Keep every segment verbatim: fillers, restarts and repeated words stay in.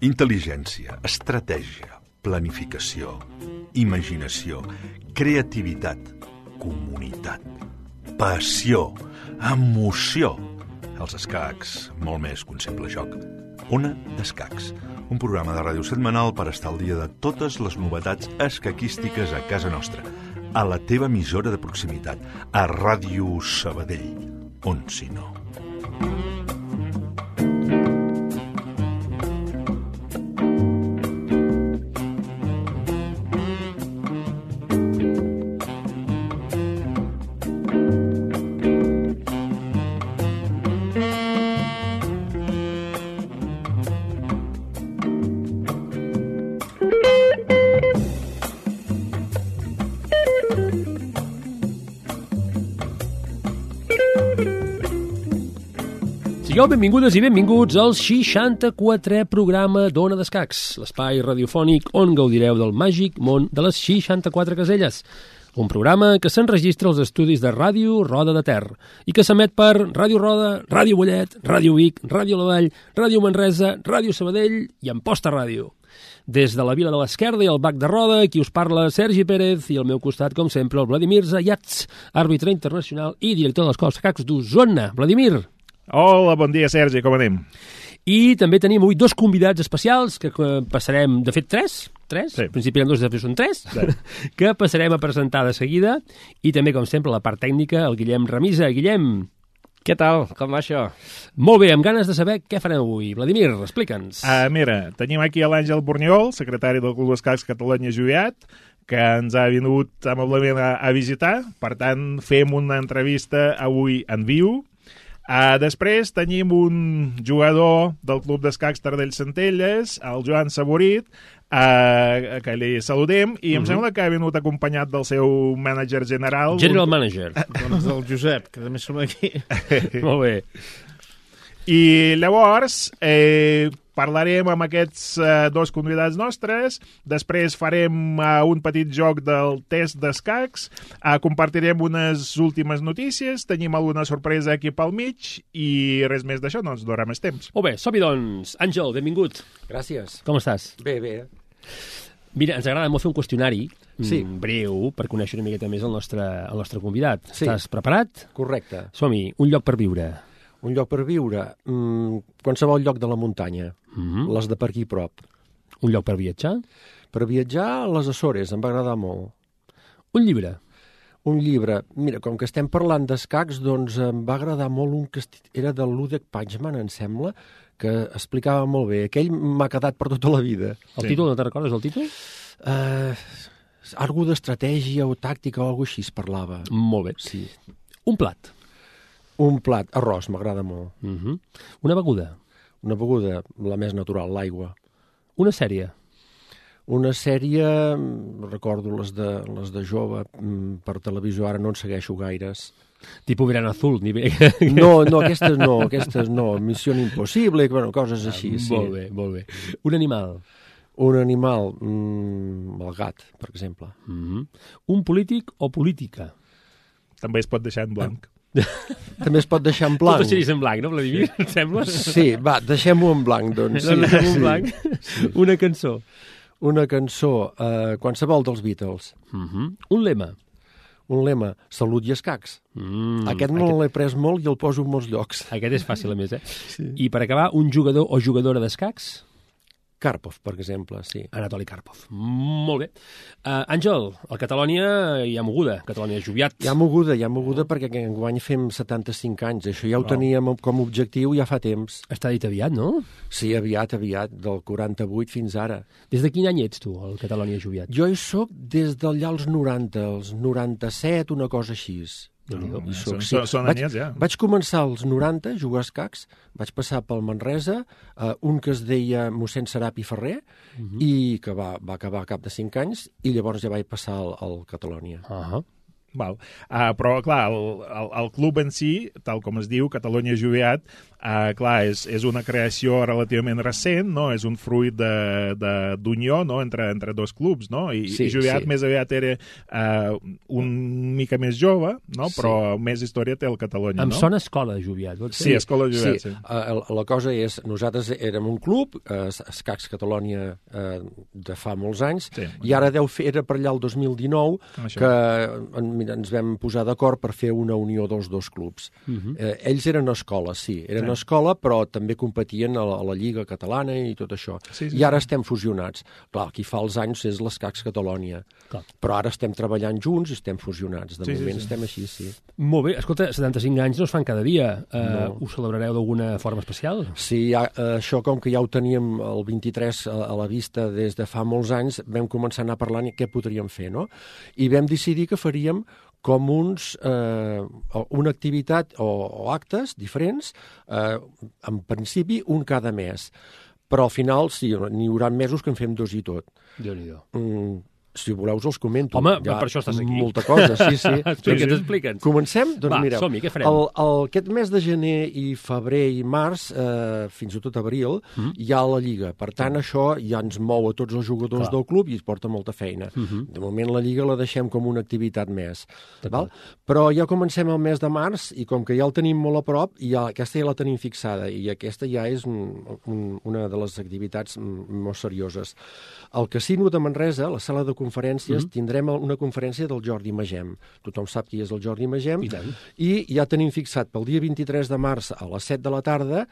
Intel·ligència, estratègia, planificació, imaginació, creativitat, comunitat, passió, emoció. Els escacs, molt més que un simple joc. Ona d'Escacs, un programa de ràdio setmanal per estar al dia de totes les novetats escaquístiques a casa nostra, a la teva emissora de proximitat, a Ràdio Sabadell, on si no. Sigueu benvingudes i benvinguts al seixanta-quatrè programa d'Ona d'Escacs, l'espai radiofònic on gaudireu del màgic món de les seixanta-quatre caselles. Un programa que s'enregistra als estudis de Ràdio Roda de Ter i que s'emet per Ràdio Roda, Ràdio Mollet, Ràdio Vic, Ràdio La Vall, Ràdio Manresa, Ràdio Sabadell i Amposta Ràdio. Des de la Vila de l'Esquerda i el Bac de Roda, qui us parla Sergi Pérez i al meu costat, com sempre, el Vladimir Zayats, àrbitre internacional i director de l'Escola d'Escacs d'Osona. Vladimir. Hola, bon dia, Sergi, com anem? I també tenim avui dos convidats especials que passarem, de fet, tres, tres, sí. Al principi eren dos, després són tres, sí. Que passarem a presentar de seguida. I també, com sempre, la part tècnica, el Guillem Remisa. Guillem. Què tal? Com va això? Molt bé, amb ganes de saber què farem avui. Vladimir, explica'ns. Uh, mira, tenim aquí l'Àngel Borniol, secretari del Club d'Escacs Catalunya-Juiat, que ens ha vingut amablement a, a visitar. Per tant, fem una entrevista avui en viu. Uh, després tenim un jugador del Club d'Escacs Tardell Centelles, el Joan Saborit, uh, que li saludem, i em uh-huh. sembla que ha vingut acompanyat del seu mànager general. General manager. Doncs del Josep, que també som aquí. Molt bé. I llavors eh, parlarem amb aquests eh, dos convidats nostres, després farem eh, un petit joc del test d'escacs, eh, compartirem unes últimes notícies, tenim alguna sorpresa aquí pel mig i res més d'això, no ens donarà més temps. Molt bé, som-hi doncs. Àngel, benvingut. Gràcies. Com estàs? Bé, bé. Mira, ens agrada molt fer un qüestionari sí. breu per conèixer una miqueta més el nostre, el nostre convidat. Sí. Estàs preparat? Correcte. Som-hi, un lloc per viure. Un lloc per viure, mm, qualsevol lloc de la muntanya, Mm-hmm. les de per aquí prop. Un lloc per viatjar? Per viatjar, les Açores, em va agradar molt. Un llibre? Un llibre. Mira, com que estem parlant d'escacs, doncs em va agradar molt un que era de Ludek Pachman, em sembla, que explicava molt bé. Aquell m'ha quedat per tota la vida. El Sí. títol, no te'n recordes el títol? Uh, algú d'estratègia o tàctica o alguna cosa així es parlava. Molt bé. Sí. Un plat? Un plat, arròs, m'agrada molt. Mm-hmm. Una beguda? Una beguda, la més natural, l'aigua. Una sèrie? Una sèrie, recordo les de, les de jove, per televisió, ara no en segueixo gaires. Tipo Verano Azul? Ni bé. No, no, aquestes no, aquestes no. Missió Impossible, bueno, coses així, sí. Molt bé, molt bé. Un animal? Un animal, mm, el gat, per exemple. Mm-hmm. Un polític o política? També es pot deixar en blanc. També es pot deixar en blanc. Tot deixaries en blanc, no, Vladimir? Et sembla? Sí, va, deixem-ho en blanc, doncs. Sí, Doncs deixem-ho en sí. blanc. Sí. Una cançó? Una cançó, eh, qualsevol dels Beatles. Mm-hmm. Un lema? Un lema, salut i escacs. Mm, Aquest me aquest... l'he pres molt i el poso en molts llocs. Aquest és fàcil, a més, eh? Sí. I per acabar, un jugador o jugadora d'escacs? Karpov, per exemple, sí. Anatoli Karpov. Molt bé. Uh, Àngel, a Catalònia hi ha moguda, Catalònia Juiat. Hi ha moguda, hi ha moguda perquè enguany fem setanta-cinc anys. Això ja ho Wow. teníem com a objectiu ja fa temps. Està dit aviat, no? Sí, aviat, aviat, del quaranta-vuit fins ara. Des de quin any ets tu, al Catalònia Juiat? Jo hi soc des d'allà als noranta, els noranta-set, una cosa així. Déu-n'hi-do. Hi Són, soc, sí. són, són Vaig, anyets, ja. vaig començar als noranta a jugar a escacs, vaig passar pel Manresa, uh, un que es deia mossèn Serapi Ferrer, uh -huh. i que va, va acabar a cap de cinc anys, i llavors ja vaig passar al, al Catalònia. Uh -huh. Val. Uh, però, clar, el, el, el club en si, tal com es diu, Catalunya Jubiat, uh, clar, és, és una creació relativament recent, no? És un fruit d'unió, no? entre, entre dos clubs, no? I, sí, i Jubiat sí. més aviat era uh, un mica més jove, no? Però sí. més història té el Catalunya, em no? Em sona Escola Jubiat. Sí, sí, Escola Jubiat, sí. sí. Uh, la cosa és, nosaltres érem un club, uh, Escacs Catalunya, uh, de fa molts anys, sí, i ara deu fer, era per allà el dos mil dinou, Això. que en, ens vam posar d'acord per fer una unió dels dos clubs. Uh -huh. eh, ells eren escola, sí, eren sí. escola, però també competien a la, a la Lliga Catalana i tot això. Sí, sí, I ara sí. estem fusionats. Clar, qui fa els anys és l'Escacs Catalunya, Clar. però ara estem treballant junts i estem fusionats. De sí, moment sí, sí. estem així, sí. Molt bé. Escolta, setanta-cinc anys no es fan cada dia. Uh, no. Ho celebrareu d'alguna forma especial? Sí, ja, uh, això com que ja ho teníem el vint-i-tres a, a la vista des de fa molts anys, vam començar a anar parlant i què podríem fer, no? I vam decidir que faríem com uns, eh, una activitat o, o actes diferents, eh, en principi un cada mes. Però al final sí, n'hi haurà mesos que en fem dos i tot. Déu-n'hi-do. Mm, si voleu us els comento. Home, ja, per això estàs aquí. Molta cosa, sí, sí. Explica'ns, explica'ns. Comencem? Doncs Va, mireu, som-hi, què farem? El, el, aquest mes de gener i febrer i març, eh, fins i tot abril, mm. hi ha la Lliga. Per tant, mm. això ja ens mou a tots els jugadors Clar. del club i es porta molta feina. Mm -hmm. De moment la Lliga la deixem com una activitat més. Val? Però ja comencem el mes de març i com que ja el tenim molt a prop, ja, aquesta ja la tenim fixada i aquesta ja és un, un, una de les activitats molt serioses. Al Casino de Manresa, la sala de conferències, mm -hmm. tindrem una conferència del Jordi Magem. Tothom sap qui és el Jordi Magem. I tant. I ja tenim fixat pel dia vint-i-tres de març a les set de la tarda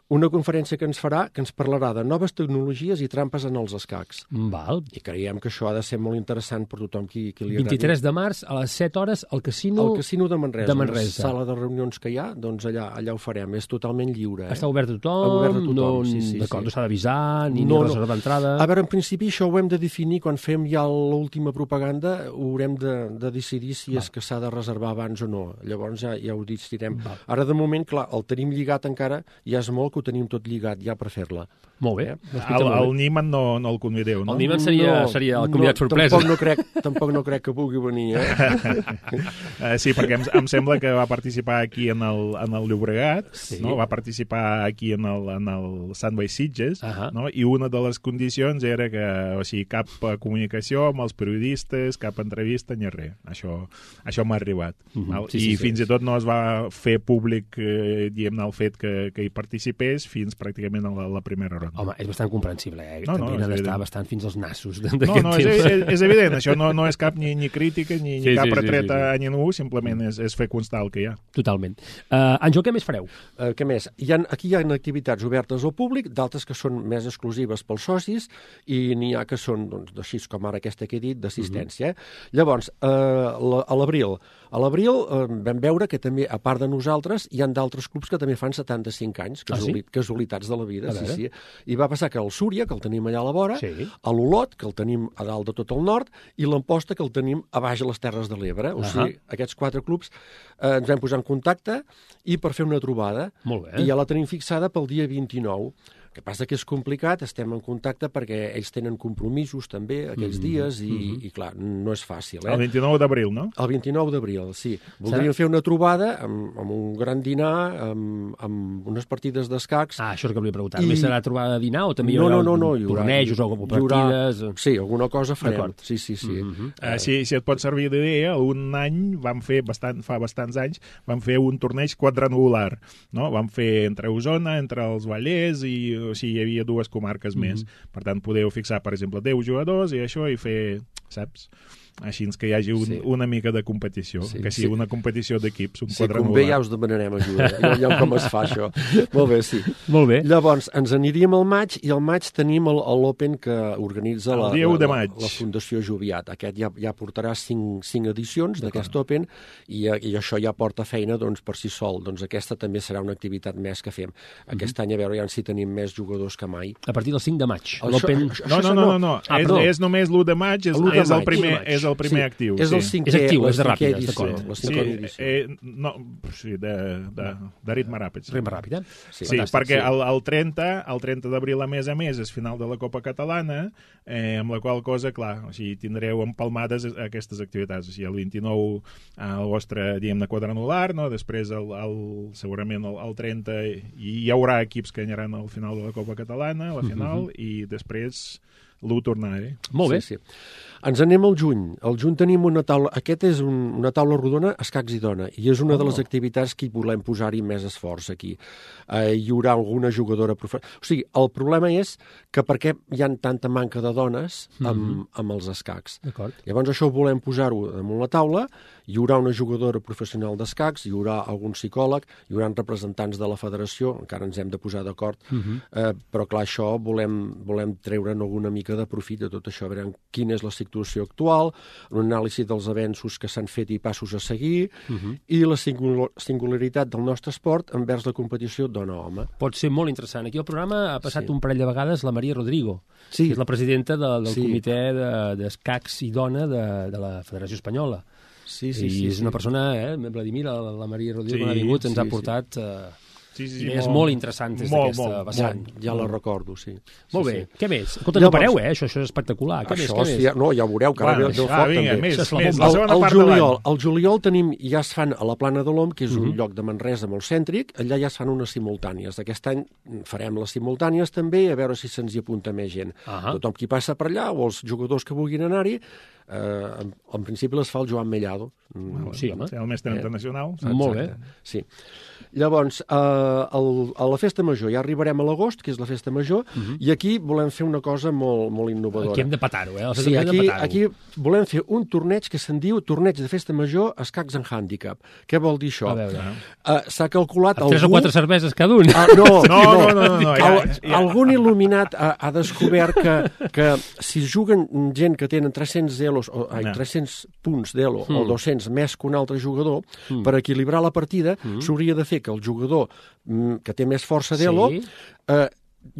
una conferència que ens farà, que ens parlarà de noves tecnologies i trampes en els escacs. Val. I creiem que això ha de ser molt interessant per tothom qui, qui li agradi. vint-i-tres de març a les set hores al Casino... Al Casino de Manresa. De Manresa. La sala de reunions que hi ha, doncs allà, allà ho farem. És totalment lliure. Eh? Està obert a tothom? Obert a tothom, no, sí, sí. D'acord, sí. no s'ha d'avisar, ni, no, ni reservar entrada... A veure, en principi això ho hem de definir quan fem ja l'última propaganda, ho haurem de, de decidir si Va. és que s'ha de reservar abans o no. Llavors ja, ja ho decidirem. Va. Ara, de moment, clar, el tenim lligat encara, ja és molt que ho tenim tot lligat ja per fer-la. Molt bé. Eh? El, el Niman no, no el convideu, no? El Niman seria, no, seria el convidat no, sorpresa. Tampoc no, crec, tampoc no crec que pugui venir, eh? uh, sí, perquè em, em sembla que va participar aquí en el, en el Llobregat, sí. no? Va participar aquí en el, en el Sandway Sitges, uh -huh. no? I una de les condicions era que, o sigui, cap comunicació amb els periodistes, cap entrevista ni res. Això, això m'ha arribat. Uh -huh. sí, I sí, fins sí. i tot no es va fer públic, eh, diguem-ne, el fet que, que hi participés fins pràcticament a la, la primera ronda. Home, és bastant comprensible, eh? No, no, També n'ha d'estar bastant fins als nassos d'aquest no, no, temps. És, és, és evident, això no, no és cap ni, ni crítica ni, sí, ni cap sí, retreta sí, sí, sí. a ningú, simplement és, és fer constar el que hi ha. Totalment. Uh, Àngel, què més fareu? Uh, què més? Hi ha, aquí hi ha activitats obertes al públic, d'altres que són més exclusives pels socis, i n'hi ha que són, doncs, així com ara aquesta que he dit, d'assistència. Eh? Llavors, uh, la, a l'abril, a l'abril uh, vam veure que també, a part de nosaltres, hi ha d'altres clubs que també fan setanta-cinc anys, casuali ah, sí? casualitats de la vida. Sí, sí. I va passar que el Súria, que el tenim allà a la vora, sí. a l'Olot, que el tenim a dalt de tot el nord, i l'Amposta, que el tenim a baix a les Terres de l'Ebre. O uh -huh. sigui, aquests quatre clubs eh, ens vam posar en contacte i per fer una trobada. Molt bé. I ja la tenim fixada pel dia vint-i-nou. El que passa que és complicat, estem en contacte perquè ells tenen compromisos també aquells mm -hmm. dies i, mm -hmm. i clar, no és fàcil. Eh? El vint-i-nou d'abril, no? El vint-i-nou d'abril, sí. Voldríem fer una trobada amb, amb un gran dinar, amb, amb unes partides d'escacs. Ah, això és el que volia preguntar. I... Més serà trobada de dinar o també hi haurà no, no, no, no, tornejos o partides? Haurà... Sí, alguna cosa farem. Sí, sí, sí. Mm -hmm. uh, si, si et pot servir d'idea, un any vam fer, bastant, fa bastants anys, vam fer un torneig quadrangular, no? Vam fer entre Osona, entre els Vallès i o sigui, hi havia dues comarques mm -hmm. més. Per tant, podeu fixar, per exemple, deu jugadors i això i fer, saps? Així que hi hagi un, sí. una mica de competició, sí, que sigui sí. una competició d'equips, un sí, quadrangular. Si convé ja us demanarem ajuda, ja com es fa això. Molt bé, sí. Molt bé. Llavors, ens aniríem al maig, i al maig tenim l'Open que organitza la, la, la, la Fundació Joviat. Aquest ja, ja portarà cinc, cinc edicions d'aquest Open, i, i això ja porta feina doncs, per si sol. Doncs aquesta també serà una activitat més que fem. Aquest mm -hmm. any, a veure ja si tenim més jugadors que mai. A partir del cinc de maig. Això, no, no, no, no, no. Ah, és, és només l'u de maig, és, és, el primer, és és el primer sí, actiu. És sí. el cinquè, És actiu, la és de cinquè ràpides, edició, d'acord. la Sí, cinquena edició. eh, no, sí, de, de, de ritme ràpid. Sí. Ritme ràpid, eh? Sí, Fantàstic, perquè sí. el, el trenta, el trenta d'abril, a més a més, és final de la Copa Catalana, eh, amb la qual cosa, clar, o sigui, tindreu empalmades aquestes activitats. O sigui, el vint-i-nou el vostre, diguem-ne, quadrangular, no? Després, el, el, segurament, el, el trenta, hi, hi haurà equips que aniran al final de la Copa Catalana, a la final, uh -huh. i després l'u tornar-hi. Molt bé. Sí, sí. Ens anem al juny. Al juny tenim una taula... Aquest és un, una taula rodona escacs i dona, i és una oh. de les activitats que hi volem posar-hi més esforç aquí. Eh, hi haurà alguna jugadora professional... O sigui, el problema és que per què hi ha tanta manca de dones amb, mm -hmm. amb els escacs. Llavors això volem posar-ho damunt la taula, hi haurà una jugadora professional d'escacs, hi haurà algun psicòleg, hi haurà representants de la federació, encara ens hem de posar d'acord, mm -hmm. eh, però clar, això volem, volem treure'n alguna mica de profit de tot això, veurem quina és la situació actual, un anàlisi dels avenços que s'han fet i passos a seguir, uh -huh. i la singul singularitat del nostre esport envers la competició dona-home. Pot ser molt interessant. Aquí al programa ha passat sí. un parell de vegades la Maria Rodrigo, sí. que és la presidenta de, del sí. comitè d'escacs de, i dona de, de la Federació Espanyola. Sí, sí, I sí, és sí. una persona, eh, Vladimir, la, la Maria Rodrigo, sí, que ha vingut, ens sí, ha portat... sí. Eh, Sí, sí, sí, idees molt, molt interessants des d'aquesta vessant. Ja, ja la recordo, sí. Molt sí, bé. sí. Què més? Escolta, no pareu, eh? Això, això és espectacular. Què això, més? Què sí, més? no, ja ho veureu, que ara bueno, ve el ah, foc vinga, també. més, Això més, el, la segona el, part juliol, de l'any. el juliol tenim, ja es fan a la Plana de l'Om, que és un Uh-huh. lloc de Manresa molt cèntric, allà ja es fan unes simultànies. Aquest any farem les simultànies també, a veure si se'ns hi apunta més gent. Uh-huh. Tothom qui passa per allà, o els jugadors que vulguin anar-hi, eh, en, en principi les fa el Joan Mellado. Mm, sí, home. El mestre Eh, internacional. Exacte. Molt bé. Sí. Llavors, eh, el, a la Festa Major, ja arribarem a l'agost, que és la Festa Major, uh-huh. i aquí volem fer una cosa molt, molt innovadora. Aquí hem de petar-ho, eh? Sí, aquí, aquí volem fer un torneig que se'n diu Torneig de Festa Major Escacs en Handicap. Què vol dir això? A veure. Uh, S'ha calculat... Tres algú... o quatre cerveses cada un. Ah, no, No, no, no, no, no, ja, Al, ja. Algun il·luminat ha, ha descobert que, que si juguen gent que tenen tres-cents elos, o, ai, No. tres-cents punts d'elo Mm. o dos-cents més que un altre jugador, Mm. per equilibrar la partida Mm. s'hauria de fer que el jugador mm, que té més força d'elo Sí. eh,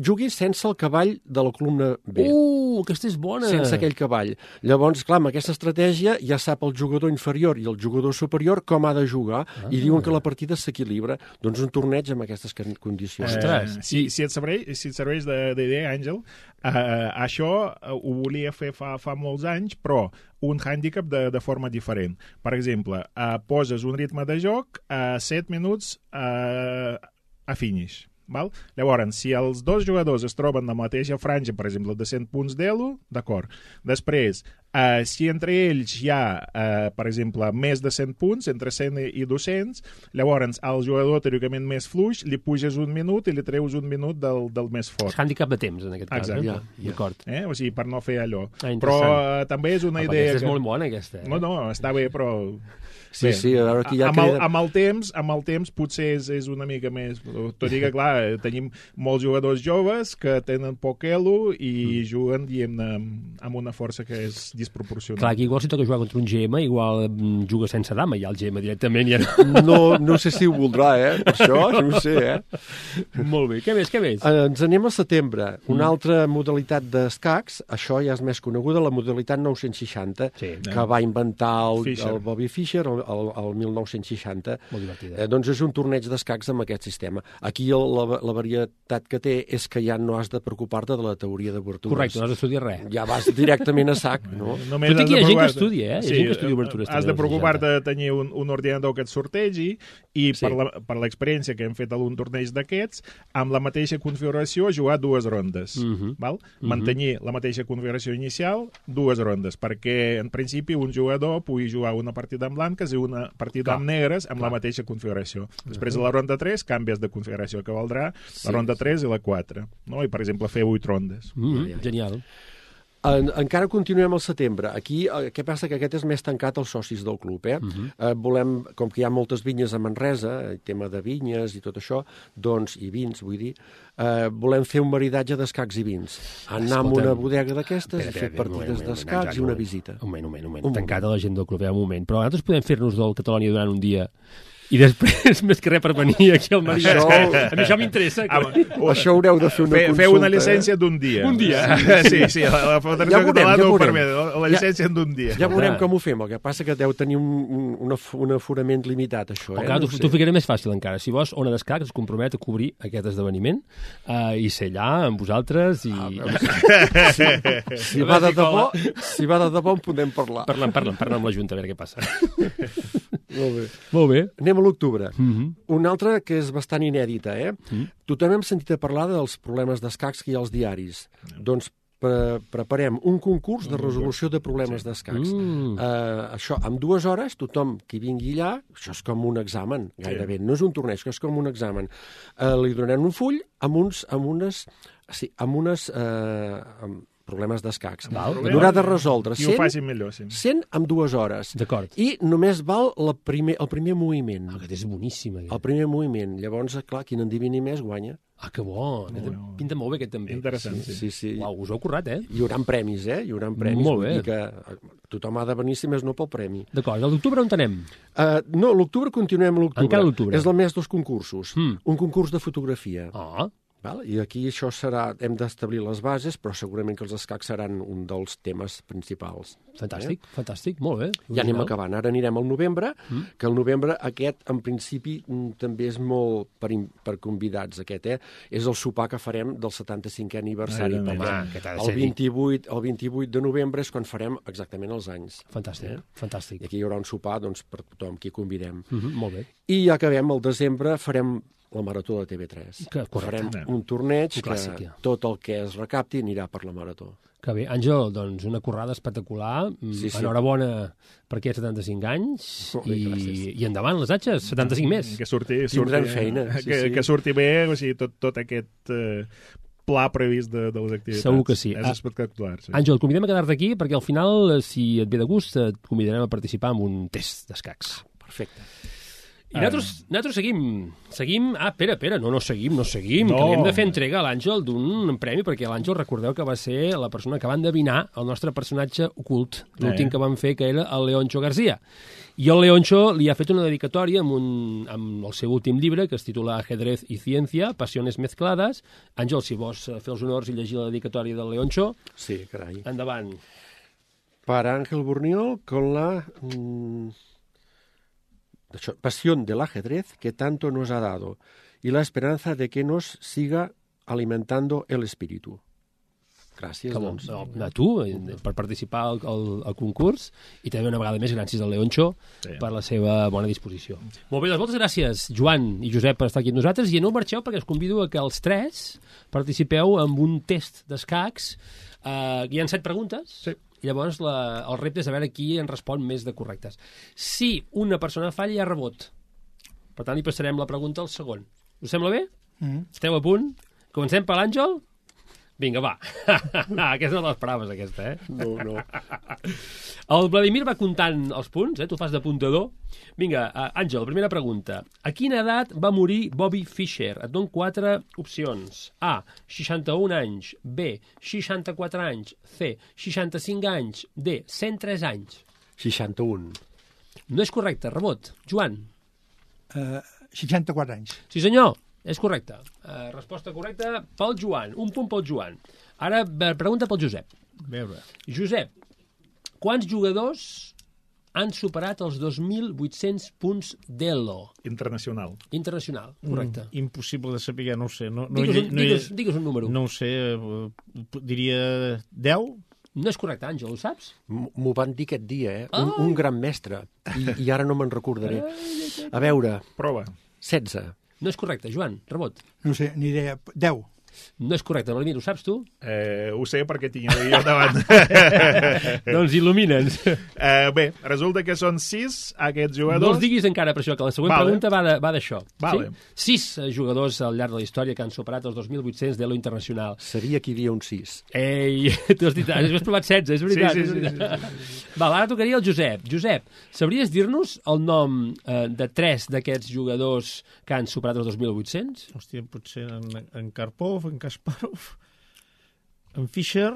jugui sense el cavall de la columna B. Uh, aquesta és bona. Sense aquell cavall. Llavors, clar, amb aquesta estratègia ja sap el jugador inferior i el jugador superior com ha de jugar, ah. i diuen que la partida s'equilibra. Doncs un torneig amb aquestes condicions. Ostres. Eh, si, si, et serveix, si et serveix d'idea, Àngel, eh, això ho volia fer fa, fa molts anys, però un hàndicap de, de forma diferent. Per exemple, eh, poses un ritme de joc a set minuts eh, a finish. Val? Llavors, si els dos jugadors es troben en la mateixa franja, per exemple, de cent punts d'elo, d'acord. Després, eh, si entre ells hi ha, eh, per exemple, més de cent punts, entre cent i dos-cents, llavors al jugador teòricament més fluix li puges un minut i li treus un minut del, del més fort. És hàndicap de temps, en aquest cas. Exacte. Eh? Ja, ja. D'acord. Eh? O sigui, per no fer allò. Ah, però eh, també és una Ah, idea aquesta és que... molt bona, aquesta. Eh? No, no, està bé, però... Sí, sí, a veure aquí ja amb, el, queda... amb, el temps, amb el temps potser és, és una mica més... Tot i que, clar, tenim molts jugadors joves que tenen poc elo i mm. juguen, diguem-ne, amb una força que és desproporcionada. Clar, aquí igual si toca jugar contra un G M, igual mm, juga sense dama, ja el G M directament ja no... No, no sé si ho voldrà, eh? Per això, no ho sé, eh? Molt bé. Què més, què més? Eh, Ens anem a setembre. Una altra modalitat d'escacs, això ja és més coneguda, la modalitat nou-cents seixanta, Sí. que va inventar el, Fischer. el Bobby Fischer el, el, el mil nou-cents seixanta. Molt divertida. Eh, doncs és un torneig d'escacs amb aquest sistema. Aquí el, la, la varietat que té és que ja no has de preocupar-te de la teoria d'obertures. Correcte, no has d'estudiar res. Ja vas directament a sac, no? Només Tot i has que hi ha de gent que provar-te- estudia, eh? Hi ha gent que estudia obertures Has també, de als preocupar-te de tenir un, un ordinador que et sortegi i Sí. per la- per l'experiència que hem fet algun torneig d'aquests, amb la mateixa configuració jugar dues rondes. Mhm. Val? Mantenir la mateixa configuració inicial, dues rondes, perquè en principi un jugador pugui jugar una partida en blanques i una partida Clar. amb negres amb la mateixa configuració. Després de la ronda tres canvies de configuració, que valdrà la ronda tres i la quatre. No? I, per exemple, fer vuit rondes. Mm, genial. En, encara continuem al setembre. Aquí, eh, què passa? Que aquest és més tancat als socis del club, eh? Mhm. eh volem, com que hi ha moltes vinyes a Manresa, el tema de vinyes i tot això, doncs, i vins, vull dir, eh, volem fer un maridatge d'escacs i vins. Anar a Escolta'm, una bodega d'aquestes i Espera, fer espera, un moment, partides un moment, d'escacs i un una moment. visita. Un moment, un moment. Un Un moment. Tancat moment. a la gent del club, eh, un moment. Però nosaltres podem fer-nos del Catalònia durant un dia I després, més que res per venir aquí al Maria. Això- A mi això m'interessa. Ah, que- Això haureu de fer una Fe, consulta. feu una eh? llicència d'un dia. Un dia. Sí, sí, la, la Federació Ja veurem, Catalana ja ho veurem. permet, la, la llicència d'un dia. Ja veurem Clar. com ho fem. El que passa que deu tenir un, un, un, af- un aforament limitat, això. O Eh? clar, No t'ho ho sé. t'ho ficaré més fàcil encara. Si vols, Ona d'Escacs es compromet a cobrir aquest esdeveniment eh, i ser allà amb vosaltres i... Ah, Si va de debò, si va de debò en podem parlar. Parlem, parlem, parlem amb la Junta, a veure què passa. Molt bé. Molt bé. Anem a l'octubre. Mm -hmm. Una altra que és bastant inèdita, eh? Mm. Tothom hem sentit a parlar dels problemes d'escacs que hi ha als diaris. Doncs pre preparem un concurs de resolució de problemes d'escacs. Mm. Uh, això, en dues hores, tothom qui vingui allà, això és com un examen, gairebé. No és un torneig, que és com un examen. Uh, li donem un full amb, uns, amb unes... Sí, amb unes... Uh, amb problemes d'escacs. Val, I haurà de resoldre I ho cent, facin millor, sí. cent en dues hores. D'acord. I només val la primer, el primer moviment. Ah, aquest és boníssim, aquest. El primer moviment. Llavors, clar, qui n'endivini més guanya. Ah, que bo. Aquest bo. pinta molt bé, aquest també. Interessant, sí. Sí, sí. Uau, us ho heu currat, eh? Hi haurà premis, eh? Hi haurà premis. Molt Vull bé. dir que eh, tothom ha de venir, si més no, pel premi. D'acord, a l'octubre on anem? Uh, no, l'octubre continuem l'octubre. Encara l'octubre. És el mes dels concursos. Mm. Un concurs de fotografia. Ah, Val? I aquí això serà... Hem d'establir les bases, però segurament que els escacs seran un dels temes principals. fantàstic, eh? fantàstic, molt bé. Ja anem Original. acabant. Ara anirem al novembre, Mm. que el novembre aquest, en principi, mm, també és molt per, in- per convidats, aquest, eh? És el sopar que farem del setanta-cinquè aniversari. Ai, perquè home, aquest ha de el, ser vint-i-vuit, el vint-i-vuit de novembre és quan farem exactament els anys. Fantàstic, Eh? fantàstic. I aquí hi haurà un sopar doncs, per tothom qui convidem. Mm -hmm, molt bé. I ja acabem el desembre, farem la Marató de T V tres. Que- correcte. Farem un torneig Un que clàssic, ja. tot el que es recapti anirà per la Marató. Que bé. Àngel, doncs una currada espectacular. Mm, Sí, sí. Enhorabona per aquests setanta-cinc anys Molt bé, i, gràcies. i endavant les atxes, setanta-cinc més. Que surti, Tindran surti feina, sí, que, sí. que surti bé, o sigui, tot, tot aquest eh, pla previst de, de les activitats. Segur que sí. És Ah, espectacular. Sí. Àngel, convidem a quedar-te aquí perquè al final, eh, si et ve de gust, et convidarem a participar en un test d'escacs. Perfecte. I nosaltres, nosaltres seguim, seguim... Ah, espera, espera, no, no seguim, no seguim, No. que li hem de fer entrega a l'Àngel d'un premi, perquè l'Àngel, recordeu que va ser la persona que va endevinar el nostre personatge ocult, l'últim Eh. que vam fer, que era el Leoncho García. I el Leoncho li ha fet una dedicatòria amb, un, amb el seu últim llibre, que es titula Ajedrez y Ciencia, Pasiones Mezcladas. Àngel, si vols eh, fer els honors i llegir la dedicatòria del Leoncho, Sí, carai. endavant. Para Ángel Burniol con la mm, això, pasión del ajedrez que tanto nos ha dado y la esperanza de que nos siga alimentando el espíritu. Gràcies, Que bo. doncs. No, a tu, eh, per participar al, al, al concurs, i també una vegada més gràcies al Leoncho Sí. per la seva bona disposició. Molt bé, doncs moltes gràcies, Joan i Josep, per estar aquí amb nosaltres, i no marxeu perquè us convido a que els tres participeu en un test d'escacs. Uh, hi ha set preguntes, Sí. i llavors la, el repte és a veure qui en respon més de correctes. Si una persona falla, hi ha rebot. Per tant, li passarem la pregunta al segon. Us sembla bé? Mm. Esteu a punt? Comencem per l'Àngel? Vinga, va. Aquesta no te l'esperaves, aquesta, eh? No, no. El Vladimir va comptant els punts, eh? Tu fas d'apuntador. Vinga, uh, Àngel, primera pregunta. A quina edat va morir Bobby Fischer? Et dono quatre opcions. A, seixanta-un anys. B, seixanta-quatre anys. C, seixanta-cinc anys. D, cent tres anys. seixanta-un. No és correcte, rebot. Joan. Uh, seixanta-quatre anys. Sí, senyor, és correcte. Uh, resposta correcta pel Joan. Un punt pel Joan. Ara, eh, pregunta pel Josep. A veure. Josep, quants jugadors han superat els dos mil vuit-cents punts d'Elo Internacional. internacional? Correcte. Mm, impossible de saber, no ho sé. No, no, Digues, hi- un, no, hi- digues, digues un número. No. no ho sé, eh, diria deu? no és correcte, Àngel, ho saps? M- M'ho van dir aquest dia, eh? Un, Ai. un gran mestre. I, I ara no me'n recordaré. A veure, Prova. setze. No és correcte, Joan, rebot. No sé, ni idea. deu. No és correcte, Vladimir, ho saps tu? Eh, ho sé perquè tinc el guió davant. Doncs il·lumina'ns. eh, bé, resulta que són sis aquests No jugadors. els diguis encara per això, que la següent Vale. pregunta va de- va d'això. Vale. Sí? Sis eh, jugadors al llarg de la història que han superat els dos mil vuit-cents d'Elo internacional. Seria que hi havia un sis. Ei, tu has dit, has provat setze, és veritat. Sí, sí, és sí, veritat. Val, ara tocaria el Josep. Josep, sabries dir-nos el nom eh, de tres d'aquests jugadors que han superat els dos mil vuit-cents? Hòstia, potser en, en Karpov, en Kasparov, en Fischer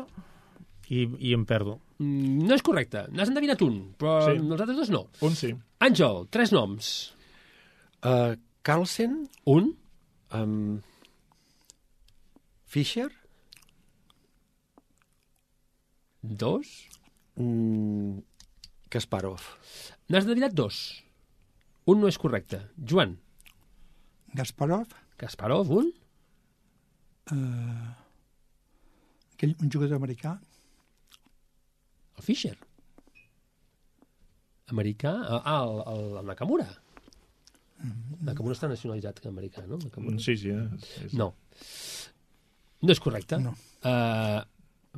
i, i en perdo. Mm, no és correcte. N'has endevinat un, però Sí. els altres dos no. Un sí. Àngel, tres noms. Uh, Carlsen, Un. um, Fischer, Dos. mm, Kasparov. N'has de dos. Un no és correcte. Joan. Gasparov, Kasparov, un. eh, aquell, un jugador americà, El Fischer. Americà. Ah, el, el, el Nakamura. Nakamura està nacionalitzat americà, no? Nakamura. Sí, sí. Eh? És... No. No és correcte. No. Uh,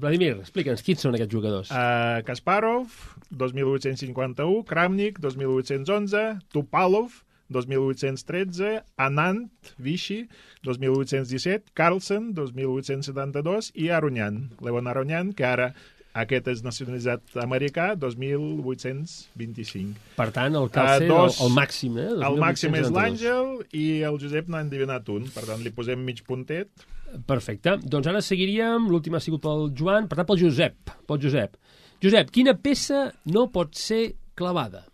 Vladimir, explica'ns, quins són aquests jugadors? Uh, Kasparov, dos mil vuit-cents cinquanta-u, Kramnik, dos mil vuit-cents onze, Tupalov, dos mil vuit-cents tretze, Anand, Vichy, dos mil vuit-cents disset, Carlsen, dos mil vuit-cents setanta-dos, i Aronian, Leon Aronian, que ara aquest és nacionalitzat americà, dos mil vuit-cents vint-i-cinc. Per tant, el Carlsen, Uh, dos- el, el màxim, eh? El màxim és dos mil vuit-cents setanta-dos. l'Àngel i el Josep n'ha endivinat un, per tant li posem mig puntet. Perfecte. Doncs ara seguiríem, l'últim ha sigut pel Joan, per tant pel Josep. Pel Josep. Josep, quina peça no pot ser clavada?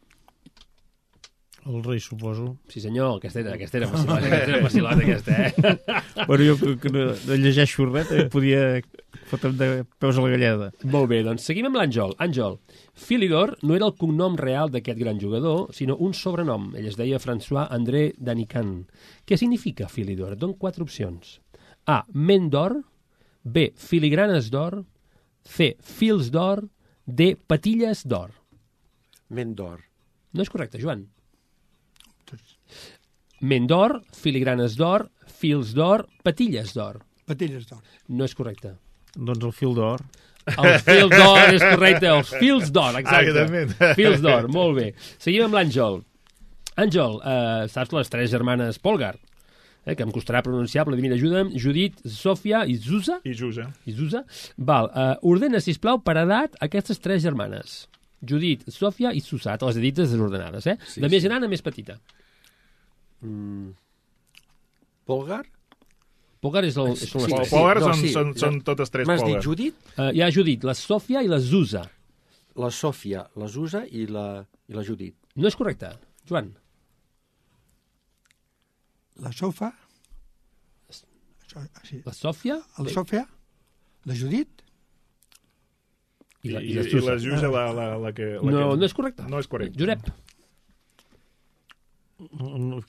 El rei, suposo. Sí senyor, aquesta era, aquesta era facilota, aquesta era facilota, aquesta, eh? Bueno, jo que, que no, no llegeixo res, també podia fotre'm de peus a la galleda. Molt bé, doncs seguim amb l'Àngel. Àngel, Philidor no era el cognom real d'aquest gran jugador, sinó un sobrenom. Ell es deia François André Danican. Què significa Philidor? Et dono quatre opcions. A. Ment d'or. B. Filigranes d'or. C. Fils d'or. D. Patilles d'or. Ment d'or. No és correcte, Joan. Ment d'or, filigranes d'or, fils d'or, patilles d'or. patilles d'or. No és correcte. Doncs el fil d'or. Els fils d'or és correcte, els fils d'or, exacte. Evidentment. Fils d'or, molt bé. Seguim amb l'Àngel. Àngel, eh, saps les tres germanes Polgar? Eh, que em costarà pronunciar, però mira, ajuda'm. Judit, Sofia i Zusa. I Jusa. I Zusa. Val, eh, ordena, sisplau, per edat aquestes tres germanes. Judit, Sofia i Susa. Te les he dites desordenades, eh? Sí, de més sí. gran a més petita. Mm. Polgar? Polgar és el, són les Sí, tres. Sí, Polgar no, són, sí. són, són totes tres M'has Polgar. dit Judit, Uh, hi ha Judit, la Sòfia i la Zusa. la Sòfia, la Zusa i la, i la Judit. No és correcte. Joan. La Sofa, so, sí. La Sòfia la Sofia, la Judit, i la, I, i la i Zusa. la Jusa, la, la, la que... La No, que... no és correcte. No és correcte. Josep.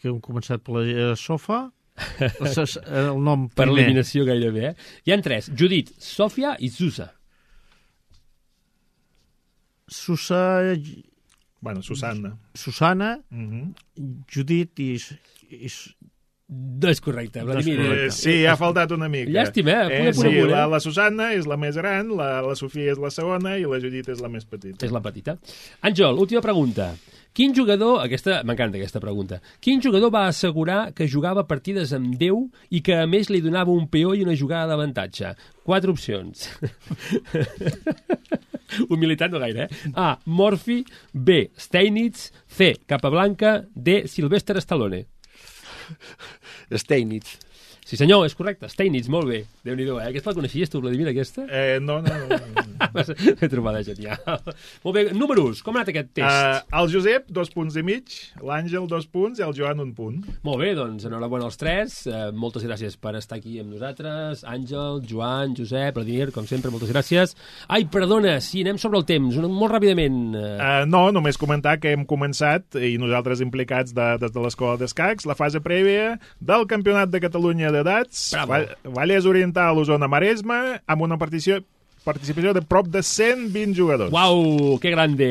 Que hem començat per la eh, sofa. El nom Per primer. eliminació gairebé, eh? Hi ha tres. Judit, Sòfia i Zusa. Susa, Bueno, Susanna. Susana, Mm Judit i, i No és correcte, Vladimir. correcte. eh, sí, ha faltat una mica. Llàstima, eh? Punt a Eh, punt a sí, punt, eh? la, la Susanna és la més gran, la, la Sofia és la segona i la Judit és la més petita. És la petita. Àngel, última pregunta. Quin jugador, aquesta m'encanta aquesta pregunta, quin jugador va assegurar que jugava partides amb Déu i que a més li donava un peó i una jugada d'avantatge? Quatre opcions. Humilitat no gaire, eh? A. Morphy. B. Steinitz. C. Capablanca. D. Sylvester Stallone. Steinitz. Sí senyor, és correcte. Steinitz, molt bé. Déu-n'hi-do, eh? Aquesta la coneixies tu, Vladimir, aquesta? Eh, no, no, no. no. He trobat genial. Molt bé, números, com ha anat aquest test? Uh, el Josep, dos punts i mig, l'Àngel, dos punts, i el Joan, un punt. Molt bé, doncs enhorabona als tres. Eh, moltes gràcies per estar aquí amb nosaltres. Àngel, Joan, Josep, Vladimir, com sempre, moltes gràcies. Ai, perdona, sí, anem sobre el temps, una- molt ràpidament. Eh, Uh, no, només comentar que hem començat, i nosaltres implicats de, des de l'Escola d'Escacs, la fase prèvia del Campionat de Catalunya d'edats, Bravo. Va- Vallès Oriental, Osona, Maresme, amb una partició, participació de prop de cent vint jugadors. Uau, que grande!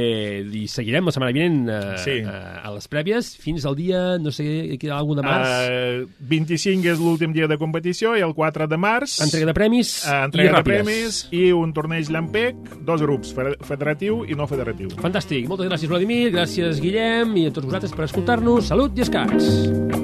I seguirem la setmana vinent eh, Sí. eh, a les prèvies fins al dia, no sé, hi ha algun de març. Uh, vint-i-cinc és l'últim dia de competició i el quatre de març... Entrega de premis uh, i entrega de ràpides. premis i un torneig Llampec, dos grups, fe- federatiu i no federatiu. Fantàstic. Moltes gràcies, Vladimir. Gràcies, Guillem, i a tots vosaltres per escoltar-nos. Salut i escacs!